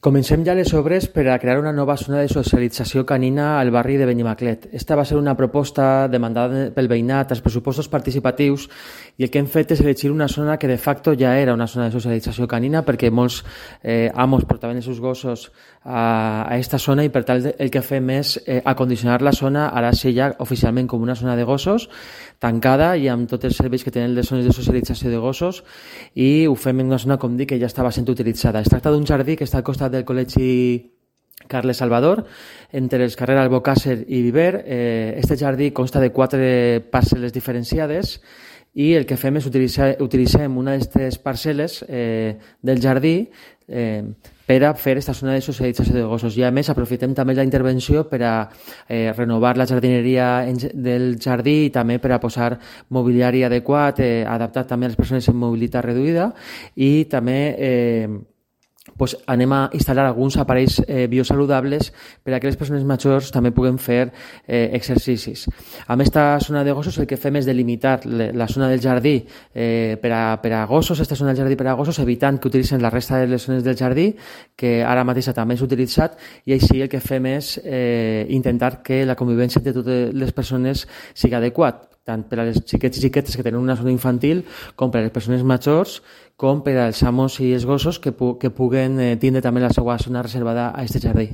Comencem ja les obres per a crear una nova zona de socialització canina al barri de Benimaclet. Esta va ser una proposta demandada pel veïnat als pressupostos participatius i el que hem fet és elegir una zona que de facto ja era una zona de socialització canina perquè molts amos portaven els seus gossos a aquesta zona i per tant el que fem és acondicionar la zona, ara sí ja oficialment com una zona de gossos, tancada i amb tots els serveis que tenen les zones de socialització de gossos i ho fem en una zona, com dic, que ja estava sent utilitzada. Es tracta d'un jardí que està al costat del Col·legi Carles Salvador, entre els carrers Albocàsser i Viver. Este jardí consta de 4 parcel·les diferenciades i el que fem és utilitzem una d'aquestes parcel·les del jardí per a fer aquesta zona de socialització de gossos. I a més aprofitem també la intervenció per a renovar la jardineria del jardí i també per a posar mobiliari adequat, adaptat també a les persones amb mobilitat reduïda i també anem a instal·lar alguns aparells biosaludables per a que les persones majors també puguen fer exercicis. Amb aquesta zona de gossos el que fem és delimitar la zona del jardí per a gossos, aquesta zona del jardí per a gossos, evitant que utilitzen la resta de les zones del jardí, que ara mateix també és utilitzat, i així el que fem és intentar que la convivència de totes les persones sigui adequat, tant per a les xiquets i xiquetes que tenen una zona infantil com per a les persones majors, com per als amos i els gossos que puguen tindre també la seva zona reservada a aquest jardí.